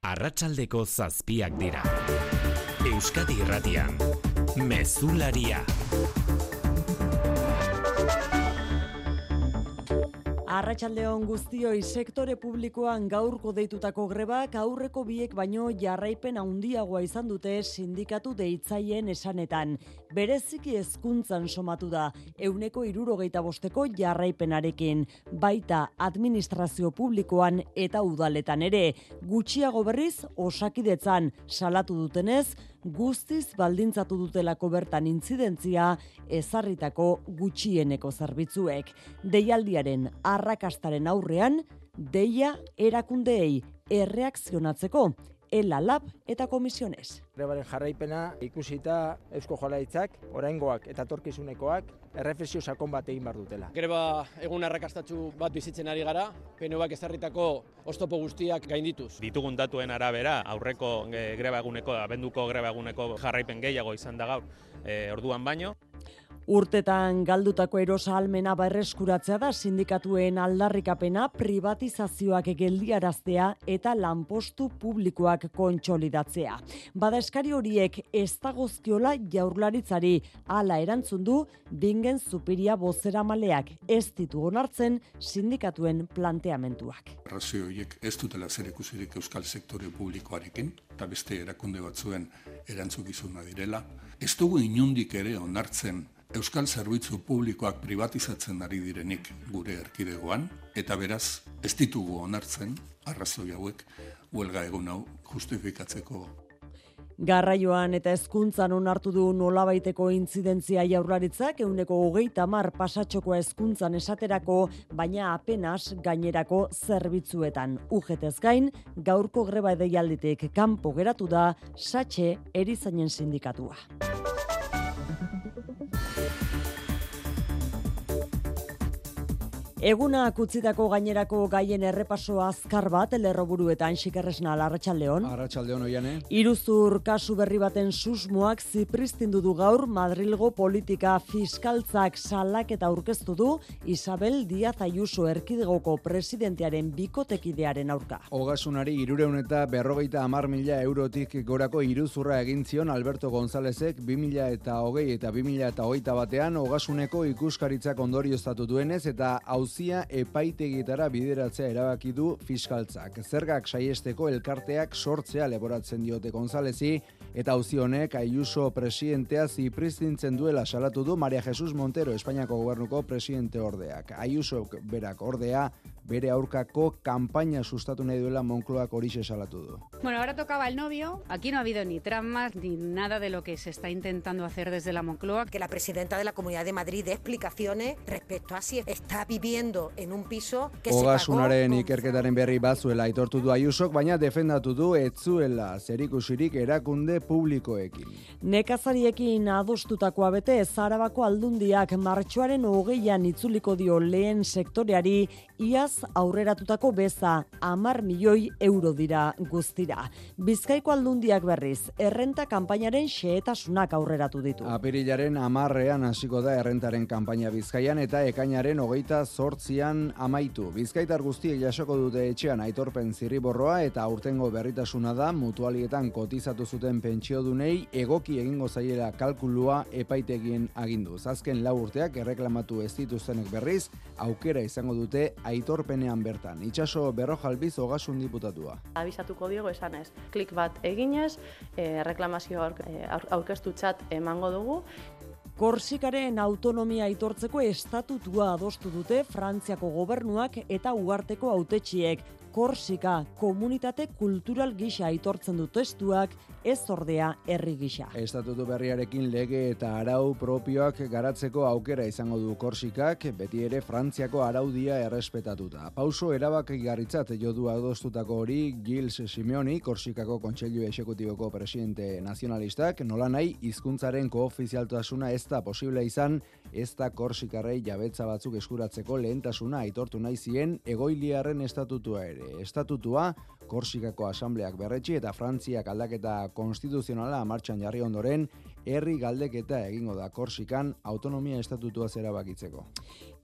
Arratsaldeko 7:00 dira. Euskadi Irratian, Mezularia. Arratsaldeon guztioi, sektore publikoan gaurko deitutako grebak aurreko biek baino jarraipen handiagoa izan dute sindikatu deitzaileen esanetan. Bereziki hezkuntzan somatu da, 75% jarraipenarekin, baita administrazio publikoan eta udaletan ere. Gutxiago berriz, Osakidetzan salatu dutenez, guztiz baldintzatu dutelako bertan intzidentzia ezarritako gutxieneko zerbitzuek. Deialdiaren arrakastaren aurrean, deia erakundeei erreakzionatzeko, ELA, LAB eta komisiones. Grebaren jarraipena ikusita Eusko Jaurlaritzak, oraingoak eta etorkizunekoak erreflexio sakon bat egin behar dutela. Greba egun arrakastatsu bat bizitzen ari gara, PNUak ezarritako oztopo guztiak gaindituz. Ditugun datuen arabera, aurreko greba eguneko, abenduko greba eguneko jarraipen gehiago izan da gaur, orduan baino. Urtetan galdutako erosahalmena berreskuratzea da sindikatuen aldarrikapena, privatizazioak geldiaraztea eta lanpostu publikoak kontsolidatzea. Bada eskari horiek ez dagozkiola Jaurlaritzari, hala erantzun du Bingen Zupiria bozeramaleak, ez ditu onartzen sindikatuen planteamenduak. Arrazoi horiek ez dutela zerikusirik euskal sektore publikoarekin, eta beste erakunde batzuen erantzukizuna direla. Ez dugu inondik ere onartzen euskal zerbitzu publikoak privatizatzen ari direnik gure erkidegoan, eta beraz ez ditugu onartzen arrazoi hauek huelga egun hau justifikatzeko. Garraioan eta hezkuntzan onartu du nolabaiteko intzidentzia Jaurlaritzak, 130 pasatxokoa hezkuntzan esaterako, baina apenas gainerako zerbitzuetan. UGTez gain, gaurko greba deialditik kanpo geratu da Satxe erizainen sindikatua. Egunak utzitako gainerako gaien errepaso azkar bat lerroburuetan Xikerresnal, arratsaldeon. Arratsaldeon oiane. Iruzur kasu berri baten susmoak zipristindu du gaur Madrilgo politika fiskaltzak salaketa aurkeztu du Isabel Díaz Ayuso erkidegoko presidentearen bikotekidearen aurka. Ogasunari 350.000 eurotik gorako iruzurra egin zion Alberto Gonzálezek 2020 eta 2021 batean Ogasuneko ikuskaritzak ondorioztatu duenez eta auzia epaitegietara bideratzea erabaki du fiskaltzak. Zergak saiesteko elkarteak sortzea leporatzen diote Gonzálezi eta auzi honek Ayuso presidentea zipristintzen duela salatu du María Jesús Montero, Espainiako gobernuko presidente ordeak. Ayuso berak ordea bere aurkako kanpaina sustatu nahi duela Moncloak horixe salatu du. Bueno, ahora tocaba el novio. Aquí no ha habido ni tramas ni nada de lo que se está intentando hacer desde la Moncloa. Que la presidenta de la Comunidad de Madrid dé explicaciones respecto a si está viviendo en un piso que se pagó. Ogasunaren ikerketaren berri bazuela aitortu du Ayusok, baina defendatu du ez zuela zerikusirik erakunde publikoekin. Nekazariekin adostutakoa bete, Arabako Aldundiak martxoaren 20an itzuliko dio lehen sektoreari iaz aurreratutako beza 10 milioi euro dira guztira. Bizkaiko Aldundiak berriz, errenta kanpainaren xehetasunak aurreratu ditu. Apirilaren 10ean hasiko da errentaren kanpaina Bizkaian eta ekainaren 28an amaitu. Bizkaitar guztiek jasoko dute etxean aitorpen zirriborroa eta aurtengo berritasuna da mutualietan kotizatu zuten pentsiodunei egoki egingo zaiela kalkulua epaitegien aginduz. Azken 4 urteak erreklamatu ez dituztenek berriz aukera izango dute aitorpenean bertan. Itxaso Berrojalbiz Ogasun diputatua. Abisatuko diogo esanez, klik bat eginez, reklamazio aurkeztutzat emango dugu. Korsikaren autonomia aitortzeko estatutua adostu dute Frantziako gobernuak eta uharteko hautetsiek. Korsika komunitate kultural gisa aitortzen du testuak, ez ordea herri gisa. Estatutu berriarekin lege eta arau propioak garatzeko aukera izango du Korsikak, beti ere Frantziako araudia errespetatuta. Pauso erabakigarritzat jo du adostutako hori Gilles Simeoni, Korsikako Kontseilu Exekutiboko presidente nazionalistak, nolanahi hizkuntzaren koofizialtasuna ez da posible izan, ez da Korsikarrei jabetza batzuk eskuratzeko lehentasuna aitortu nahi zien egoiliarren estatutua ere. Estatutua Korsikako asambleak berretsi eta Frantziak aldaketa konstituzionala martxan jarri ondoren herri galdeketa egingo da Korsikan autonomia estatutua erabakitzeko.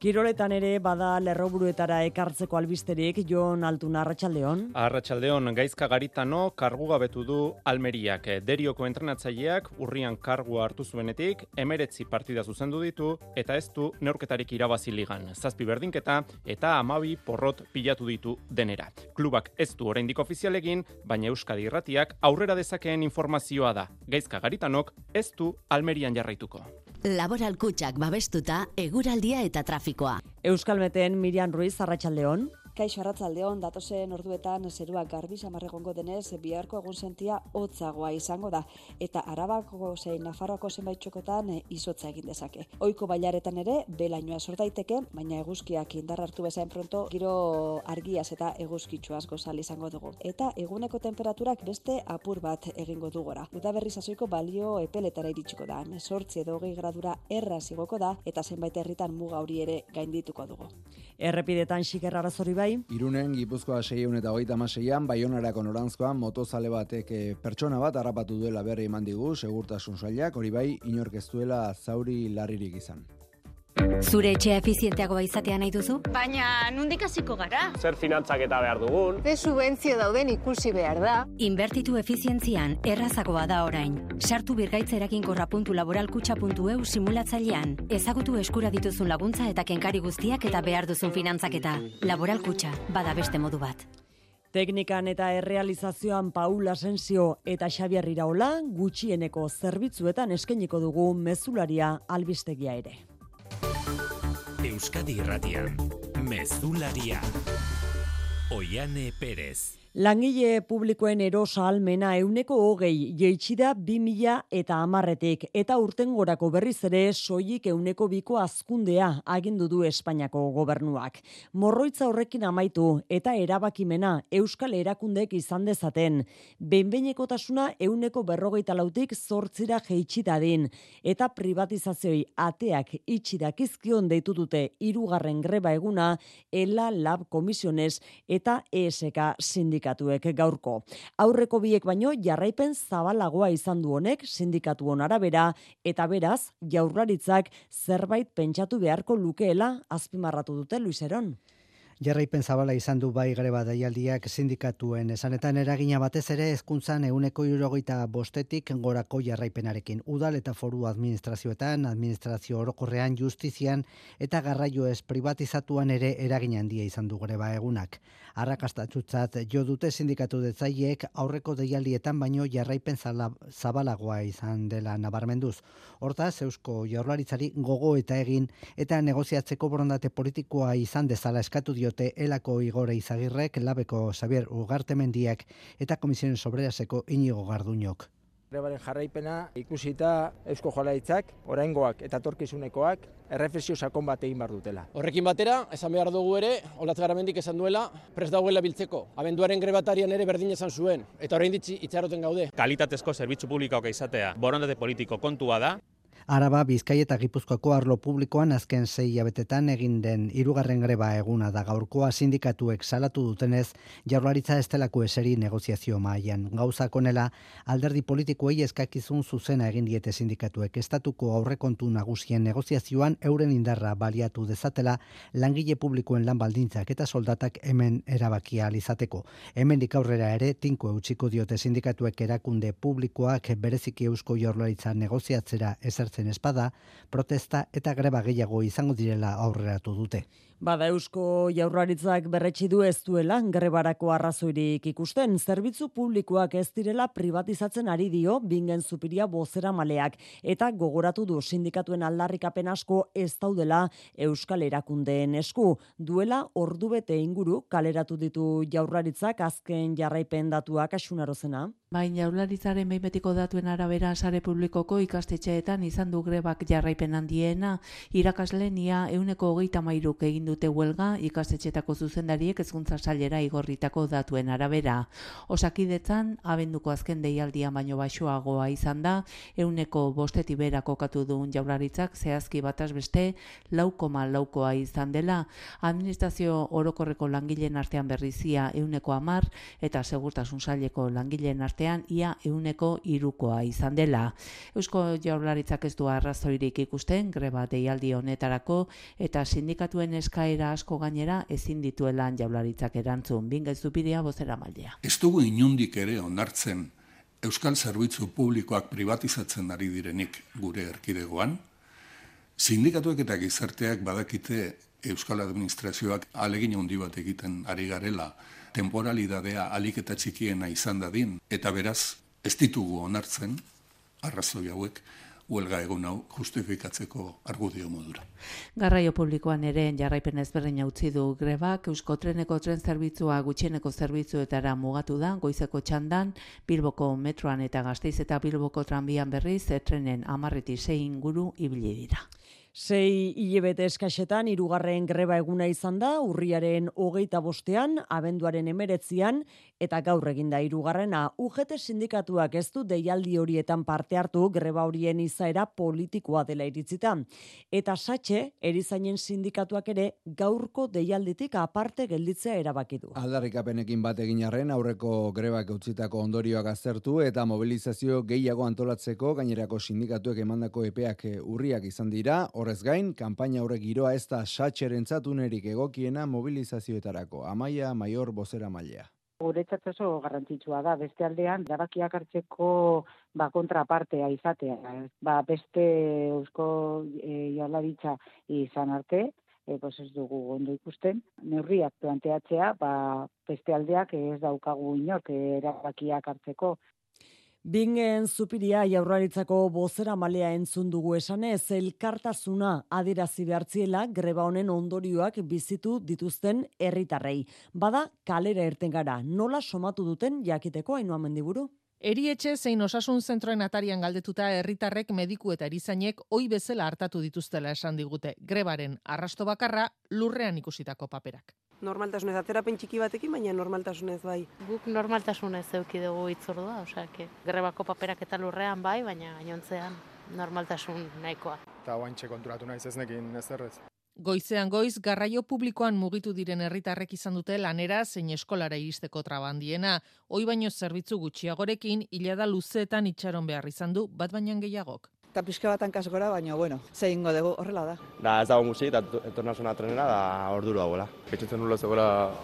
Kiroletan ere bada lerroburuetara ekartzeko albisterik, Jon Altuna, arratsaldeon. Arratsaldeon, Gaizka Garitano kargugabetu du Almeriak. Derioko entrenatzaileak urrian kargua hartu zuenetik, 19 partida zuzendu ditu eta ez du neurketarik irabazi ligan. 7 berdinketa eta 12 porrot pilatu ditu denera. Klubak ez du oraindik ofizial egin, baina Euskadi Irratiak aurrera dezakeen informazioa da. Gaizka Garitanok ez du Almerian jarraituko. Laboral Kutxak babestuta eguraldia eta trafikoa. Euskalmeten Miriam Ruiz, arratsaldeon. Kaixo, arratsaldeon, datozen orduetan zeruak garbi samar egongo denez, biharko egunsentia hotzagoa izango da eta Arabako zein Nafarroako zenbait txokotan izotza egin dezake. Ohiko bailaretan ere belainoa sor daiteke, baina eguzkiak indar hartu bezain pronto giro argiaz eta eguzkitsuaz gozal izango dugu. Eta eguneko temperaturak beste apur bat egingo du gora. Udaberri sasoiko balio epeletara iritsiko da. 18 edo 20 gradura erraz igoko da eta zenbait herritan muga hori ere gaindituko dugu. Errepidetan xiker arazori bai. Irunen Gipuzkoa 636an, Baionarako noranzkoan motozale batek pertsona bat harrapatu duela berri eman digu segurtasun sailak, hori bai inork ez duela zauri larririk izan. Zure etxea efizienteagoa izatea nahi duzu? Baina nondik hasiko gara? Zer finantzaketa behar dugun? Ze subentzio dauden ikusi behar da. Inbertitu efizientzian errazagoa da orain. Sartu birgaitza-laboralkutxa.eu simulatzailean. Ezagutu eskura dituzun laguntza eta kenkari guztiak eta behar duzun finantzaketa. Laboral Kutxa, bada beste modu bat. Teknikan eta errealizazioan Paul Asensio eta Xabier Iraola gutxieneko zerbitzuetan eskainiko dugu mezularia albistegia ere. Euskadi Irratian, Mezularia. Oiane Perez. Langile publikoen erosa almena 20% jeitsi da 2010etik eta urtengorako berriz ere soilik 2% hazkundea agindu du Espainiako gobernuak. Morroitza horrekin amaitu eta erabakimena euskal erakundeek izan dezaten. Behin-behinekotasuna 40%tik 8% jeitsi dadin eta privatizazioi ateak itxi dakizkion deitu dute 3. greba eguna ELA Lab Komisiones eta ESK sindikatuek gaurko. Aurreko biek baino jarraipen zabalagoa izan du honek sindikatuon arabera eta beraz Jaurlaritzak zerbait pentsatu beharko lukeela azpimarratu dute Luiseron. Jarraipen zabala izan du bai greba deialdiak sindikatuen esanetan eragina batez ere hezkuntzan 75%tik gorako jarraipenarekin. Udal eta foru administrazioetan, administrazio orokorrean, justizian eta garraio ez privatizatuan ere eragina handia izan du greba egunak. Arrakastatsutzat jo dute sindikatu detzaileek aurreko deialdietan baino jarraipen zabalagoa izan dela nabarmenduz. Hortaz, Eusko Jaurlaritzari gogo eta egin eta negoziatzeko borondate politikoa izan dezala eskatu diote Elako Igor Izagirrek, Labeko Xabier Ugartemendiak eta Komisiones Obreraseko Inigo Garduñok. Grebaren jarraipena ikusita Eusko Jaurlaritzak, oraingoak eta etorkizunekoak erreflexio sakon bat egin behar dutela. Horrekin batera, esan behar dugu ere, Olatz Garamendik esan duela, prest dagoela biltzeko. Abenduaren grebatarian ere berdin esan zuen, eta orain itxaroten gaude. Kalitatezko zerbitzu publikoak izatea borondate politiko kontua da. Araba, Bizkaia eta Gipuzkoako arlo publikoan azken 6 hilabetetan egin den 3. greba eguna da gaurkoa sindikatuek salatu dutenez Jaurlaritza ez delako eseri negoziazio mahaian. Gauzak honela, alderdi politikoei eskakizun zuzena egin diete sindikatuek estatuko aurrekontu nagusien negoziazioan euren indarra baliatu dezatela langile publikoen lan baldintzak eta soldatak hemen erabakia izateko. Hemendik aurrera ere tinko eutsiko diote sindikatuek erakunde publikoak bereziki Eusko Jaurlaritza negoziatzera ezertzen espada, protesta eta greba gehiago izango direla aurreratu dute. Bada Eusko Jaurlaritzak berretsi du ez duela grebarako arrazoirik ikusten, zerbitzu publikoak ez direla privatizatzen ari dio Bingen Zupiria bozeramaleak eta gogoratu du sindikatuen aldarrikapen asko ez daudela euskal erakundeen esku. Duela ordubete inguru kaleratu ditu Jaurlaritzak azken jarraipen datuak Asunarozena. Baina Jaurlaritzaren behin betiko datuen arabera sare publikoko ikastetxeetan izan du grebak jarraipen handiena, irakasleen ia 23% egin dute huelga ikastetxetako zuzendariek hezkuntza sailera igorritako datuen arabera. Osakidetzan, abenduko azken deialdia baino baxuagoa izan da, 5% behera kokatu duen Jaurlaritzak zehazki bataz beste 4,4koa izan dela. Administrazio orokorreko langileen artean berrizia 10% eta segurtasun saileko langileen artean ia 3koa izan dela. Eusko Jaurlaritzak ez du arrazoirik ikusten greba deialdi honetarako eta sindikatuen eskaera asko gainera ezin dituela Jaurlaritzak erantzun. Binga Zupiria bozeramailea. Ez dugu inundik ere onartzen euskal zerbitzu publikoak privatizatzen ari direnik gure erkidegoan. Sindikatuek eta gizarteak badakite euskal administrazioak ahalegin handi bat egiten ari garela, temporalidadea ahalik eta txikiena izan dadin, eta beraz ez ditugu onartzen arrazoi hauek huelga egun hau justifikatzeko argudio modura. Garraio publikoan ere jarraipen ezberdina utzi du grebak, Euskotreneko tren zerbitzua gutxieneko zerbitzuetara mugatu da, goizeko txandan, Bilboko metroan eta Gasteiz eta Bilboko tranbian berriz, trenen 10-6 inguru ibili dira. 6 hilabete eskaxetan 3. greba eguna izan da, urriaren 25-an, abenduaren 19-an, eta gaur eginda 3. UGT sindikatuak ez du deialdi horietan parte hartu greba horien izaera politikoa dela iritzita. Eta Satxe, erizainen sindikatuak ere gaurko deialditik aparte gelditzea erabaki du. Aldarrikapenekin bat egin arren aurreko grebak utzitako ondorioak aztertu eta mobilizazio gehiago antolatzeko gainerako sindikatuek emandako epeak urriak izan dira. Horrez gain, kanpaina horrek giroa ez da Satxerentzat unerik egokiena mobilizazioetarako. Amaia Maior bozeramailea. Guretzat oso garrantzitsua da, beste aldean, erabakiak hartzeko kontrapartea izatea. Beste Eusko Jaurlaritza izan arte, ez dugu ondo ikusten, neurriak planteatzea, beste aldeak ez daukagu inork erabakiak hartzeko. Bingen Zupiria Jaurlaritzako bozeramalea entzun dugu esanez, elkartasuna adierazi behartziela greba honen ondorioak bizitu dituzten herritarrei. Bada kalera irten gara, nola somatu duten jakiteko Ainhoa Mendiburu? Erietxe zein osasun zentroen atarian galdetuta herritarrek mediku eta erizainek ohi bezala hartatu dituztela esan digute. Grebaren arrasto bakarra lurrean ikusitako paperak. Normaltasunez, atzerapen txiki batekin, baina normaltasunez bai. Guk normaltasunez eduki dugu hitzordua, grebako paperak eta lurrean bai, baina gainontzean normaltasun nahikoa. Eta oaintxe konturatu naiz ez nekin ezerrez. Goizean goiz, garraio publikoan mugitu diren herritarrek izan dute lanera zein eskolara iristeko trabandiena. Hoi baino zerbitzu gutxiagorekin, hilada luzeetan itxaron behar izan du, bat bainan gehiagok. Eta pixka batan kasgora, baina, zehingo dugu, horrela da. Ez dago musik, eta etornazuna trenera, da orduro dagoela. Betxetzen nula zegoela,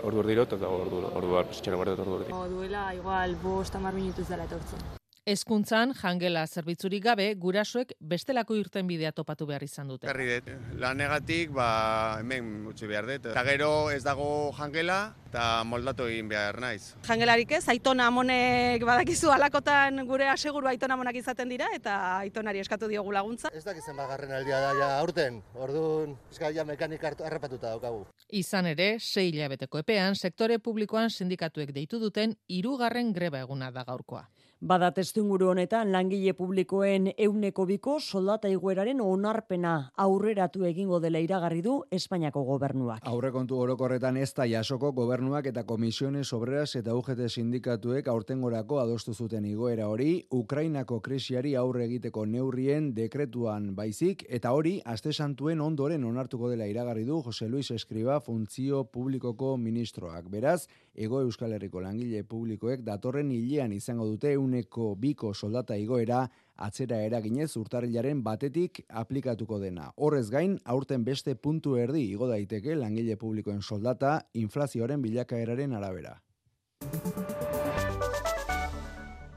ordur dirot, eta orduar txero berdet ordur dirot. Duela, igual, 5-10 minutuz dela etortzen. Hezkuntzan jangela zerbitzurik gabe, gurasoek bestelako irtenbidea topatu behar izan dute. Berri dut, lanegatik hemen utzi behar dut. Eta gero ez dago jangela eta moldatu egin behar naiz. Jangelarik ez, aitona amonek badakizu alakotan gure aseguru aitona amonak izaten dira eta aitonari eskatu diogu laguntza. Ez dakizen bagarren aldia da ja aurten, orduan eskaia mekanik harrapatuta daukagu. Izan ere, 6 hilabeteko epean, sektore publikoan sindikatuek deitu duten 3. greba eguna da gaurkoa. Bada testuinguru honetan langile publikoen 200 soldata igoeraren onarpena aurreratu egingo dela iragarri du Espainiako gobernuak. Aurrekontu orokorretan ez da jasoko gobernuak eta Komisiones Obreras eta UGT sindikatuek aurtengorako adostu zuten igoera hori Ukrainako krisiari aurre egiteko neurrien dekretuan baizik eta hori aste santuen ondoren onartuko dela iragarri du Jose Luis Escriba funtzio publikoko ministroak. Beraz, Hego Euskal Herriko langile publikoek datorren hilean izango dute 200 soldata igoera atzera eraginez urtarrilaren 1 aplikatuko dena. Horrez gain, aurten beste puntu erdi igo daiteke langile publikoen soldata inflazioaren bilakaeraren arabera.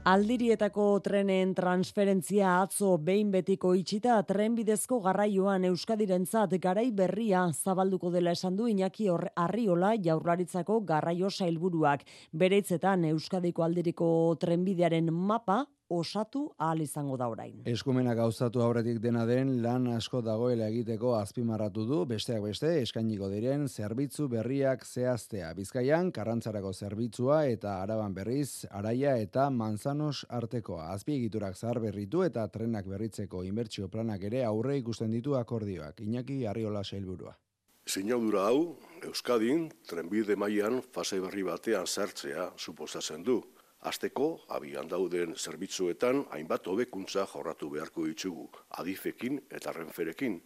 Aldirietako trenen transferentzia atzo behin betiko itxita trenbidezko garraioan Euskadirentzat garai berria zabalduko dela esan du Iñaki Arriola Jaurlaritzako garraio sailburuak. Bere hitzetan Euskadiko aldiriko trenbidearen mapa osatu ahal izango da orain. Eskumena gauzatu aurretik dena den lan asko dagoela egiteko azpimarratu du, besteak beste eskainiko diren zerbitzu berriak zehaztea. Bizkaian Karrantzarako zerbitzua eta Araban berriz Araia eta Manzanos artekoa. Azpiegiturak zaharberritu eta trenak berritzeko inbertsio planak ere aurre ikusten ditu akordioak. Iñaki Arriola sailburua. Sinadura hau, Euskadin trenbide mailan fase berri batean sartzea suposatzen du. Hasteko, abian dauden zerbitzuetan hainbat hobekuntza jorratu beharko ditugu, Adifekin eta Renferekin,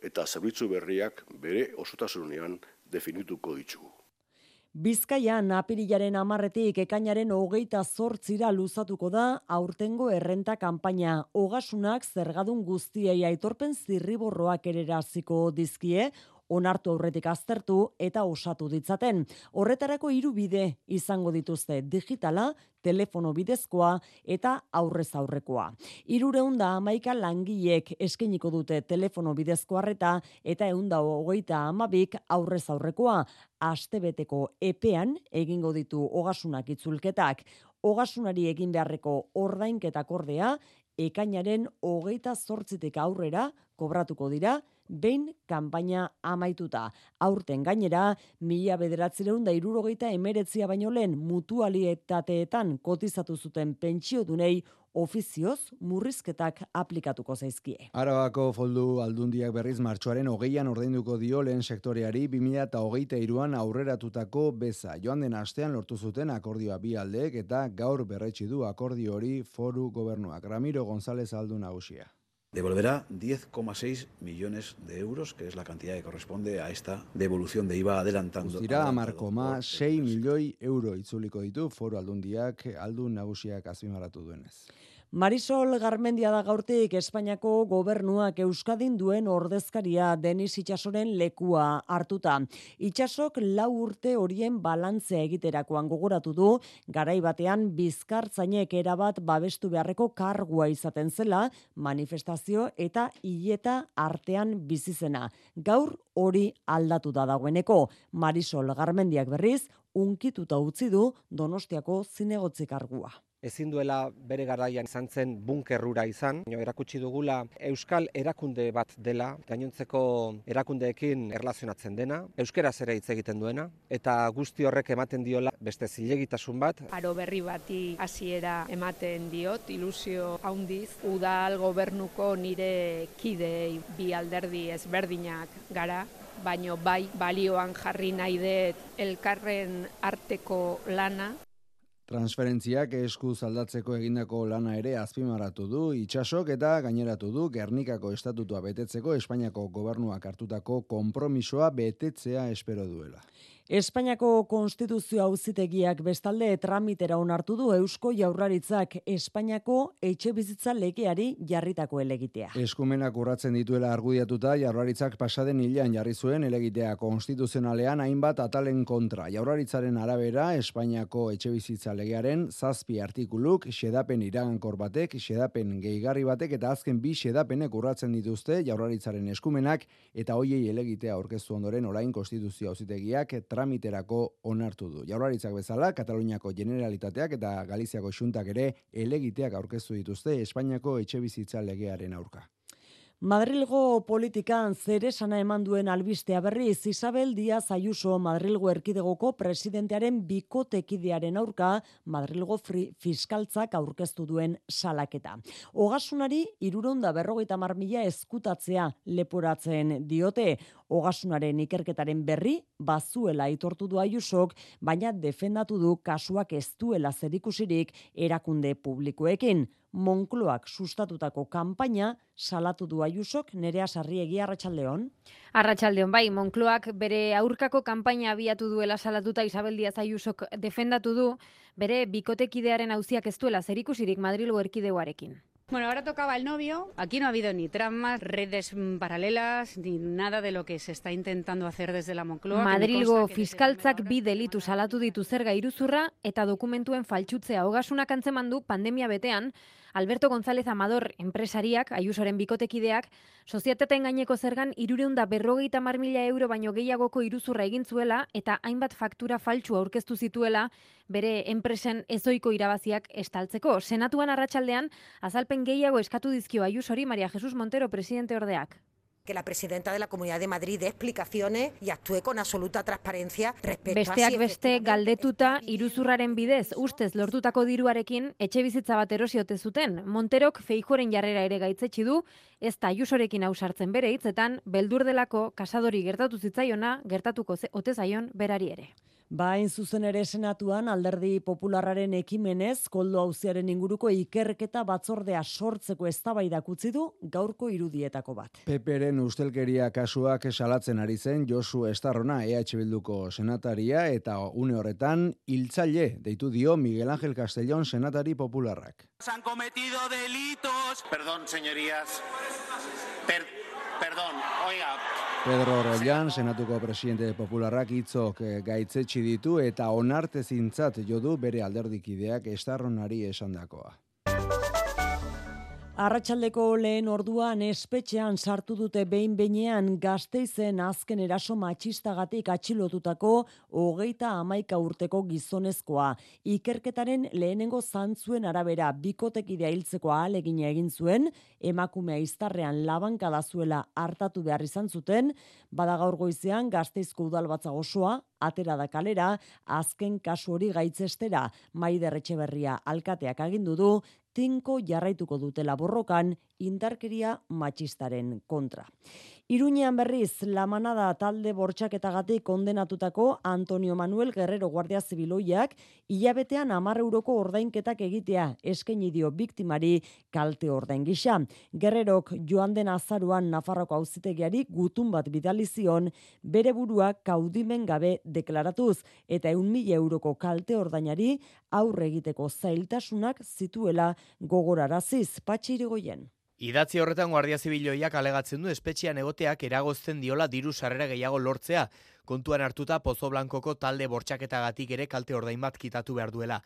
eta zerbitzu berriak bere osotasunean definituko ditugu. Bizkaian apirilaren 10-etik ekainaren 28-ra luzatuko da aurtengo errenta kanpaina. Ogasunak zergadun guztiei aitorpen zirriborroak ereraziko dizkie, onartu aurretik aztertu eta osatu ditzaten. Horretarako 3 bide izango dituzte: digitala, telefono bidezkoa eta aurrez aurrekoa. 311 langilek eskainiko dute telefono bidezko arreta eta 132 aurrez aurrekoa. Astebeteko epean egingo ditu ogasunak itzulketak. Ogasunari egin beharreko ordainketak ordea ekainaren 28tik aurrera kobratuko dira, behin kanpaina amaituta. Aurten gainera, 1979 baino lehen mutualitateetan kotizatu zuten pentsiodunei ofizioz murrizketak aplikatuko zaizkie. Arabako Foru Aldundiak berriz martxoaren 20an ordainduko dio lehen sektoreari 2023an aurreratutako beza. Joan den astean lortu zuten akordioa bi aldeek eta gaur berretsi du akordio hori Foru Gobernuak. Ramiro González Aldun nagusia. Devolverá 10,6 millones de euros, que es la cantidad que corresponde a esta devolución de IVA adelantando. Guztira 10,6 milioi euro itzuliko ditu Foru Aldundiak, Aldun nagusiak azpimarratu duenez. Marisol Garmendia da gaurtik Espainiako gobernuak Euskadin duen ordezkaria Denis Itxasoren lekua hartuta. Itxasok 4 urte horien balantzea egiterakoan gogoratu du, garai batean bizkartzainek erabat babestu beharreko kargua izaten zela, manifestazio eta hileta artean bizizena. Gaur hori aldatu da dagoeneko. Marisol Garmendiak berriz, unkituta utzi du Donostiako zinegotzi kargua. Ezin duela bere garaian izan zen bunkerrura izan, erakutsi dugula euskal erakunde bat dela, gainontzeko erakundeekin erlazionatzen dena, euskeraz ere hitz egiten duena, eta guzti horrek ematen diola beste zilegitasun bat. Aro berri bati hasiera ematen diot, ilusio handiz, udal gobernuko nire kidei bi alderdi ezberdinak gara, baino bai balioan jarri nahi dut elkarren arteko lana. Transferentziak eskuz aldatzeko egindako lana ere azpimarratu du Itxasok eta gaineratu du Gernikako estatutua betetzeko Espainiako gobernuak hartutako konpromisoa betetzea espero duela. Espainiako Konstituzio Auzitegiak bestalde tramitera onartu du Eusko Jaurlaritzak Espainiako etxebizitza legeari jarritako helegitea. Eskumenak urratzen dituela argudiatuta Jaurlaritzak pasaden hilean jarri zuen helegitea konstituzionalean hainbat atalen kontra. Jaurlaritzaren arabera Espainiako etxebizitza legearen 7 artikuluk xedapen iragankor batek, xedapen gehigarri batek eta azken 2 xedapenek urratzen dituzte Jaurlaritzaren eskumenak eta hoiei helegitea aurkeztu ondoren orain Konstituzio Auzitegiak tramiterako onartu du. Jaurlaritzak bezala, Kataluniako Generalitateak eta Galiziako Xuntak ere helegiteak aurkeztu dituzte Espainiako etxebizitza legearen aurka. Madrilgo politikan zeresana eman duen albistea berriz, Isabel Díaz Ayuso Madrilgo erkidegoko presidentearen bikotekidearen aurka Madrilgo fiskaltzak aurkeztu duen salaketa. Ogasunari 350.000 eskutatzea leporatzen diote. Ogasunaren ikerketaren berri bazuela aitortu du Ayusok, baina defendatu du kasuak ez duela zerikusirik erakunde publikoekin. Moncloak sustatutako kanpaina salatu du Ayusok. Nerea Sarriegi, arratsaldeon. Arratsaldeon, bai, Moncloak bere aurkako kanpaina abiatu duela salatuta Isabel Díaz Ayusok defendatu du bere bikotekidearen auziak ez duela zerikusirik Madrilgo erkidegoarekin. Bueno, ahora tocaba el novio. Aquí no ha habido ni tramas, redes paralelas, ni nada de lo que se está intentando hacer desde la Moncloa. Madrilgo fiskaltzak 2 delitu salatu ditu zerga iruzurra eta dokumentuen faltsutzea. Ogasunak antzeman du pandemia betean, Alberto González Amador enpresariak, Ayusoren bikotekideak, sozietateen gaineko zergan 350.000 euro baino gehiagoko iruzurra egin zuela eta hainbat faktura faltsu aurkeztu zituela bere enpresen ezoiko irabaziak estaltzeko. Senatuan arratsaldean azalpen gehiago eskatu dizkio Ayusori María Jesús Montero presidente ordeak. que la presidenta de la Comunidad de Madrid dé explicaciones y actúe con absoluta transparencia respecto Besteak beste galdetuta iruzurraren bidez ustez lortutako diruarekin etxebizitza bat erosi ote zuten. Monterok Feijóoren jarrera ere gaitzetsi du, ez da Ayusorekin ausartzen bere hitzetan, beldur delako kasadori gertatu zitzaiona gertatuko ote zaion berari ere. Hain zuzen ere Senatuan Alderdi Popularraren ekimenez Koldo auziaren inguruko ikerketa batzordea sortzeko eztabaidak utzi du gaurko irudietako bat. PPren ustelkeria kasuak salatzen ari zen Josu Estarrona EH Bilduko senataria eta une horretan hiltzaile deitu dio Miguel Ángel Castellón senatari popularrak. Se han cometido delitos. Perdón, señorías. Perdón, oiga. Pedro Rollán, senatuko presidente popularrak hitzok gaitzetsi ditu eta onartezintzat jo du bere alderdikideak Estarronari esandakoa. Arratsaldeko lehen orduan espetxean sartu dute behin-behinean Gasteizen azken eraso matxistagatik atxilotutako 31 urteko gizonezkoa. Ikerketaren lehenengo zantzuen arabera bikotekidea hiltzeko ahalegina egin zuen, emakumea iztarrean labankada zuela hartatu behar izan zuten, bada gaur goizean Gasteizko udalbatza osoa atera da kalera, azken kasu hori gaitzestera Maider Etxeberria alkateak agindu du, tinko jarraituko dutela borrokan indarkeria matxistaren kontra. Iruñean berriz, La Manada talde bortxaketagatik kondenatutako Antonio Manuel Guerrero Guardia Zibiloiak hilabetean 10 euroko ordainketak egitea eskaini dio biktimari kalte ordain gisa. Guerrerok joan den azaruan Nafarroko auzitegiari gutun bat bidali zion bere burua kaudimen gabe deklaratuz eta 100.000 euroko kalte ordainari aurre egiteko zailtasunak zituela gogoraraziz. Patxi Irigoyen. Idatzi horretan Guardia Zibiloiak alegatzen du espetxean egoteak eragozten diola diru sarrera gehiago lortzea. Kontuan hartuta Pozo Blankoko talde bortxaketagatik ere kalte ordain bat kitatu behar duela.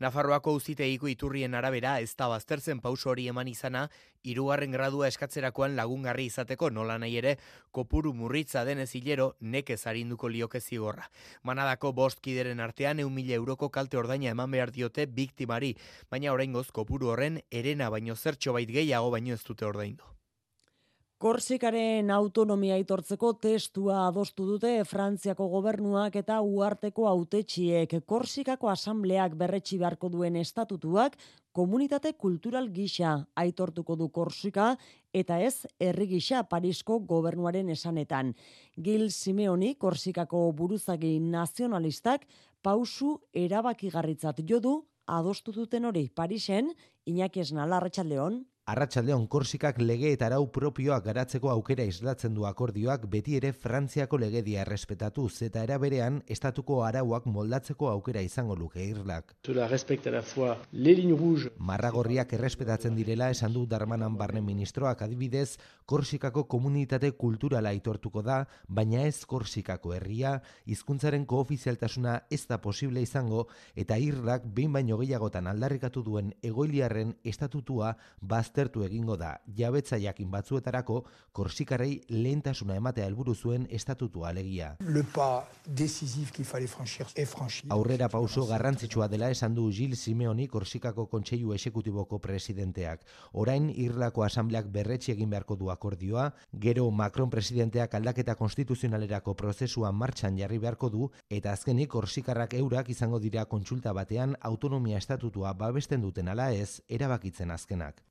Nafarroako auzitegiko iturrien arabera ez da baztertzen pauso hori eman izana, 3. gradua eskatzerakoan lagungarri izateko nola nahi ere, kopuru murritza denez hilero nekez arinduko lioke zigorra. Manadako 5 kideren artean 100.000 euroko kalte ordaina eman behar diote biktimari, baina oraingoz kopuru horren herena baino zertxobait gehiago baino ez dute ordaindu. Korsikaren autonomia aitortzeko testua adostu dute Frantziako gobernuak eta uharteko hautetsiek. Korsikako asambleak berretsi beharko duen estatutuak komunitate kultural gisa aitortuko du Korsika eta ez herri gisa Parisko gobernuaren esanetan. Gil Simeoni, Korsikako buruzagi nazionalistak, pausu erabakigarritzat jo du adostu duten hori. Parisen, Iñaki Esnala, Arratsaldeon. Arratsaldeon, Korsikak lege eta arau propioak garatzeko aukera islatzen du akordioak beti ere Frantziako legedia errespetatuz eta era berean estatuko arauak moldatzeko aukera izango luke Irlak. Marragorriak errespetatzen direla esan du Darmanan barne ministroak, adibidez, Korsikako komunitate kulturala aitortuko da, baina ez Korsikako herria, hizkuntzaren koofizialtasuna ez da posible izango eta Irlak behin baino gehiagotan aldarrikatu duen egoiliarren estatutua baztertu egingo da. Jabetza jakin batzuetarako Korsikarrei lehentasuna ematea helburu zuen estatutua alegia. Aurrera pauso garrantzitsua dela esan du Gil Simeoni, Korsikako Kontseilu Exekutiboko presidenteak. Orain Irlako asambleak berretsi egin beharko du akordioa, gero Macron presidenteak aldaketa konstituzionalerako prozesua martxan jarri beharko du eta azkenik Korsikarrak eurak izango dira kontsulta batean autonomia estatutua babesten duten ala ez erabakitzen azkenak.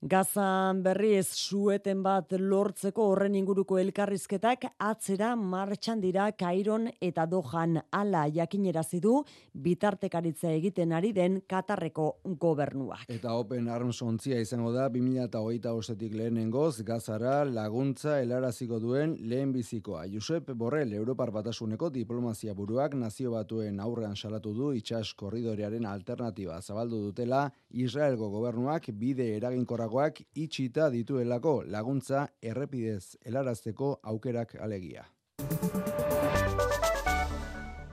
Gazan berriz sueten bat lortzeko horren inguruko elkarrizketak atzera martxan dira Kairon eta Dohan, hala jakinerazi du bitartekaritza egiten ari den Katarreko gobernuak. Eta Open Arms ontzia izango da 2025tik lehenengoz Gazara laguntza helaraziko duen lehenbizikoa. Josep Borrell, Europar Batasuneko diplomazia buruak Nazio Batuen aurrean salatu du itsas korridorearen alternatiba zabaldu dutela Israelgo gobernuak bide eraginkorragoak itxita dituelako laguntza errepidez helarazteko aukerak alegia.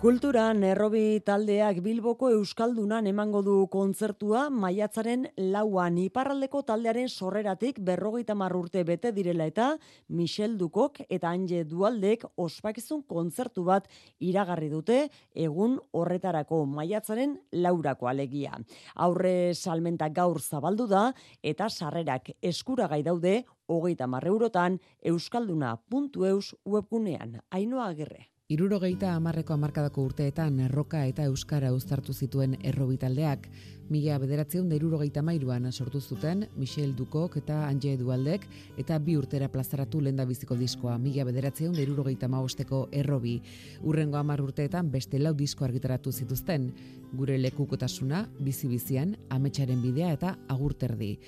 Kulturan errobi taldeak Bilboko Euskaldunan emango du kontzertua maiatzaren 4an iparraldeko taldearen sorreratik 50 urte bete direla eta Michel Dukok eta Anje Dualdek ospakizun kontzertu bat iragarri dute egun horretarako maiatzaren 4ako alegia. Aurre salmenta gaur zabaldu da eta sarrerak eskuragai daude 30 eurotan euskalduna.eus webgunean. Ainhoa Agirre. 70ko hamarkadako urteetan erroka eta euskara uztartu zituen errobi taldeak. 1973an sortu zuten Michel Dukok eta Anje Dualdek eta 2 urtera plazaratu lehendabiziko diskoa 1975ko errobi. Hurrengo 10 urteetan beste 4 disko argitaratu zituzten. Gure lekukotasuna, bizi-bizian, ametsaren bidea eta agurterdi.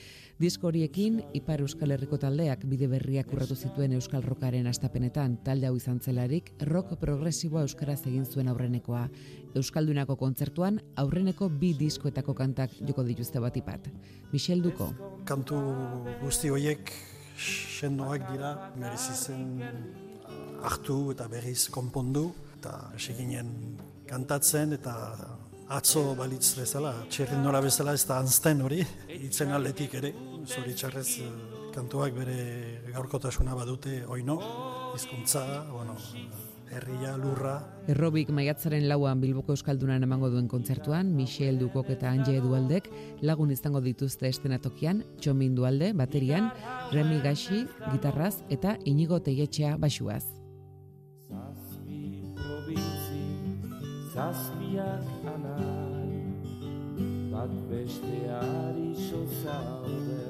Disko horiekin Ipar Euskal Herriko taldeak bide berriak urratu zituen euskal rockaren astapenetan. Talde hau izan zelarik rock progresiboa euskaraz egin zuen aurrenekoa. Euskaldunako kontzertuan aurreneko 2 diskoetako kantak joko dituzte batipat. Michel Duko. Kantu guzti horiek sendoak dira, merezi zen hartu eta berriz konpondu eta seginen kantatzen eta atzo balitz bezala, txerrin nola bezala ez da anzten hori, hitzen aldetik ere, zoritxarrez kantuak bere gaurkotasuna badute oino, hizkuntza, herria, lurra. Errobik maiatzaren 4an Bilboko Euskaldunan emango duen kontzertuan, Michel Dukok eta Anje Dualdek lagun izango dituzte eszenatokian, Txomin Dualde baterian, Remi Gaxi gitarraz eta Inigo Teietxea baxuaz. Zazpiak anai, bat besteari sozaude,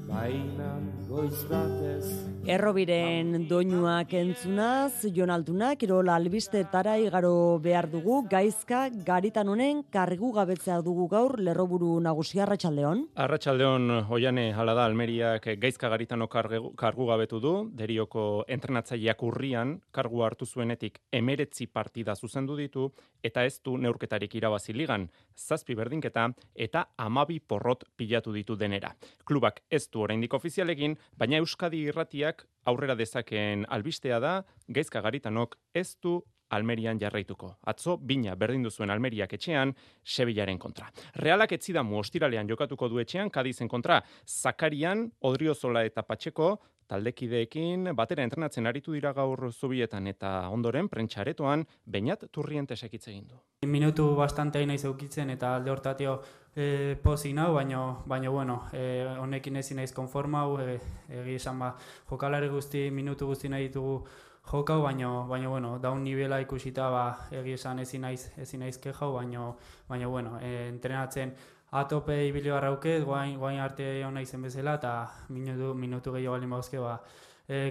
bainan goiz batez. Errobiren doinuak entzunaz, Jon Altuna, Kirol albistetara igaro behar dugu, gaizka garitan honen kargu gabetzea dugu gaur, lerroburu nagusia. Arratsaldeon. Arratsaldeon, Oiane, hala da, Almeriak gaizka garitano kargu gabetu du, Derioko entrenatzaileak urrian kargu hartu zuenetik 19 partida zuzendu ditu, eta ez du neurketarik irabazi ligan, 7 berdinketa eta 12 porrot pilatu ditu denera. Klubak ez du oraindik ofizialekin, baina Euskadi Irratiak aurrera dezakeen albistea da, gaizka garitanok ez du Almerian jarraituko. Atzo, bina berdindu zuen Almeriak etxean, Sevillaren kontra. Realak etzidamu ostiralean jokatuko du etxean, Kadizen kontra, Zakarian, Odriozola eta Patxeko, taldekideekin batera entrenatzen aritu dira gaur zubietan eta ondoren prentxaretoan Beñat Turrientesek hitz egin du. Minutu bastante naiz eukitzen eta alde hortatio pozik nau, baina honekin ezin naiz konformau, egi esan jokalari guzti, minutu guzti nahi ditugu jokau, baina daun nivela ikusita egi esan ezin naiz kejau, baina entrenatzen atope ibili barrauket, guain arte hona izen bezala, eta minutu gehiago balin bauzke,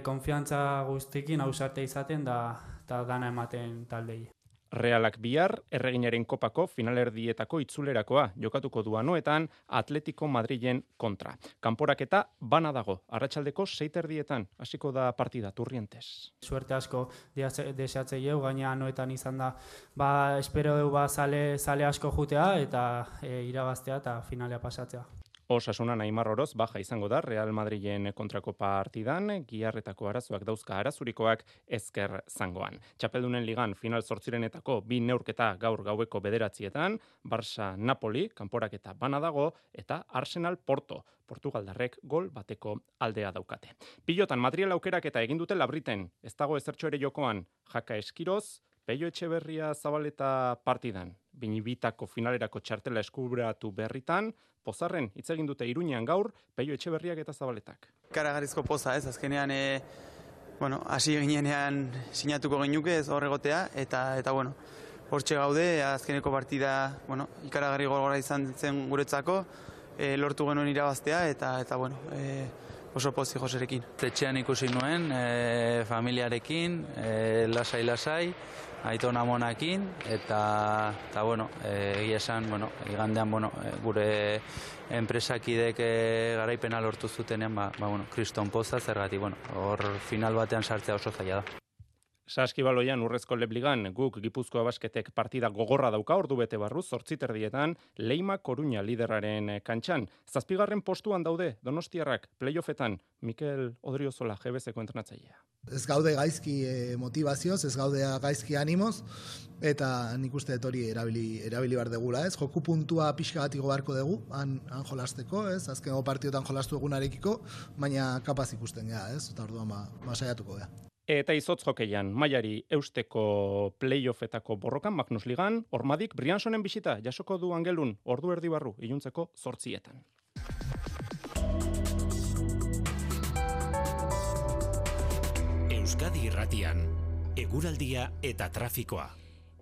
konfiantza guztikin ausarte izaten da dana ematen taldei. Realak bihar, Erreginaren kopako finalerdietako itzulerakoa jokatuko du Anoetan Atletico Madrilen kontra. Kanporaketa bana dago, arratsaldeko 6:30 hasiko da partida Turrientes. Suerte asko deseatzei gaina Anoetan izan da, espero du zale asko jutea eta irabaztea eta finalea pasatzea. Osasuna Neymar Oroz baja izango da Real Madrilen kontrako partidan, giharretako arazoak dauzka arazurikoak ezker zangoan. Txapeldunen ligan final 8renetako 2 neurketa gaur gaueko 9:00, Barça Napoli, kanporaketa bana dago, eta Arsenal Porto, Portugaldarrek gol bateko aldea daukate. Pilotan Madriel aukerak eta egin dute Labriten, ez dago ezertxo ere jokoan, Jaka Eskiroz, Peio Etxeberria Zabaleta partidan, binibitako finalerako txartela eskubratu berritan, Pozarren hitz egin dute Iruñean gaur, Peio Etxeberriak eta Zabaletak. Karagarrizko poza ez, azkenean, hasi ginean sinatuko genuke ez horregotea, eta hortxe gaude, azkeneko partida, ikaragarri gogorra izan zen guretzako, lortu genuen irabaztea, eta oso pozik Joserekin. Etxean ikusi nuen, familiarekin, lasai, Aiton Amonakin, eta egia esan, igandean, gure enpresakidek garaipena lortu zutenean, kriston poza, zergatik, hor final batean sartzea oso zaila da. Saskibaloian urrezko lebligan guk Gipuzkoa Basketek partida gogorra dauka ordu bete barru 8:30 Leima Koruña liderraren kantxan. 7. postuan daude Donostiarrak playoffetan Mikel Odriozola GBSko entrenatzailea. Ez gaude gaizki motivazioz, ez gaude gaizki animoz, eta nik uste dut hori erabili behar degula, ez? Joku puntua pixka bat igo beharko dugu, han jolasteko, ez? Azkeneko partiotan jolastu egunarekiko, baina kapaz ikusten gea, ez? Eta orduan saiatuko gea. Eta izotz jokeian, mailari eusteko playoffetako borrokan Magnus Ligan, Ormadik Briansonen bisita jasoko du Angelun, ordu erdi barru, iluntzeko 8:00. Euskadi Irratian, eguraldia eta trafikoa.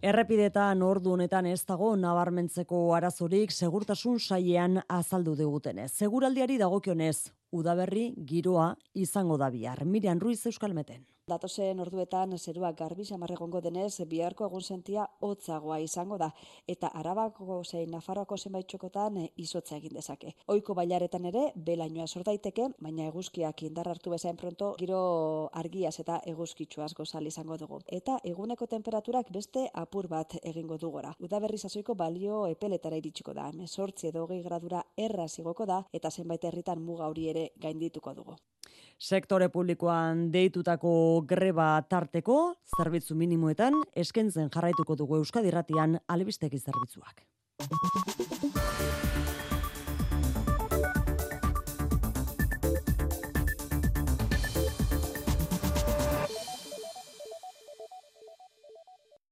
Errepidetan ordu honetan ez dago nabarmentzeko arazorik segurtasun sailean azaldu digutenez. Seguraldiari dagokionez, udaberri giroa izango da bihar. Miriam Ruiz, Euskalmeten. Datozen orduetan zerua garbi samar egongo denez, biharko egunsentia hotzagoa izango da, eta Arabako zein Nafarroako zenbait txokotan izotza egin dezake. Ohiko bailaretan ere belainoa sor daiteke, baina eguzkiak indar hartu bezain pronto giro argiaz eta eguzkitsuaz gozal izango dugu. Eta eguneko temperaturak beste apur bat egingo du gora. Udaberri sasoiko balio epeletara iritsiko da, 18 edo 20 gradura erraz igoko da, eta zenbait herritan muga hori ere gaindituko dugu. Sektore publikoan deitutako greba tarteko, zerbitzu minimoetan, eskentzen jarraituko dugu Euskadi Irratian albistegi zerbitzuak.